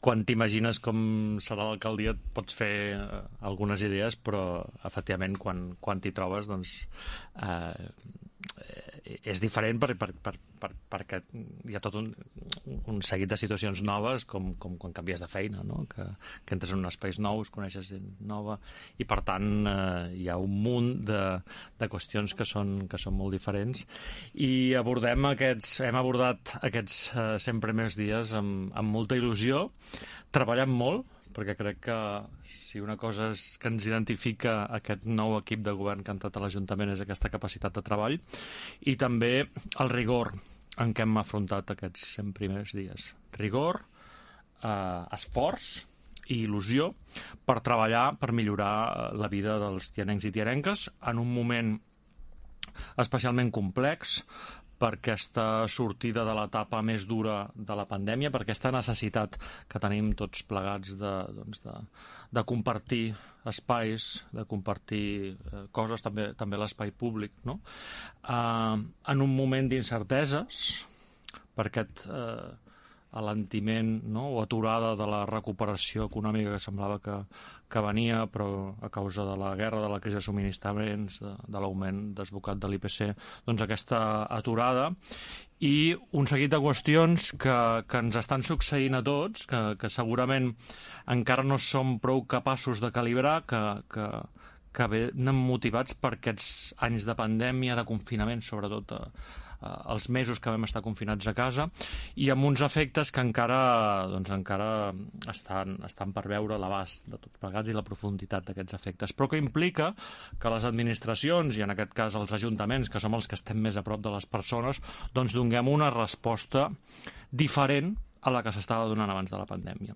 quan t'imagines com serà l'alcaldia et pots fer algunes idees, però efectivament quan t'hi trobes doncs és diferent perquè hi ha tot un seguit de situacions noves com quan canvies de feina, no? Que entres en espais nous, coneixes gent nova i per tant hi ha un munt de qüestions que són molt diferents i hem abordat aquests 100 primers dies amb molta il·lusió, treballant molt, perquè crec que si una cosa que ens identifica aquest nou equip de govern que ha entrat a l'Ajuntament és aquesta capacitat de treball i també el rigor en què hem afrontat aquests 100 primers dies. Rigor, esforç i il·lusió per treballar, per millorar la vida dels tianencs i tianenques en un moment especialment complex, per aquesta sortida de l'etapa més dura de la pandèmia, per aquesta necessitat que tenim tots plegats de compartir espais, de compartir coses, també l'espai públic, no? En un moment d'incerteses, per aquest alentiment, no? O aturada de la recuperació econòmica que semblava que venia, però a causa de la guerra, de la crisi de subministraments, de l'augment desbocat de l'IPC, doncs aquesta aturada i un seguit de qüestions que ens estan succeint a tots, que segurament encara no som prou capaços de calibrar, que venen motivats per aquests anys de pandèmia, de confinament, sobretot els mesos que vam estar confinats a casa, i amb uns efectes que encara estan per veure l'abast de tots plegats i la profunditat d'aquests efectes, però que implica que les administracions, i en aquest cas els ajuntaments, que som els que estem més a prop de les persones, doncs donem una resposta diferent a la que s'estava donant abans de la pandèmia.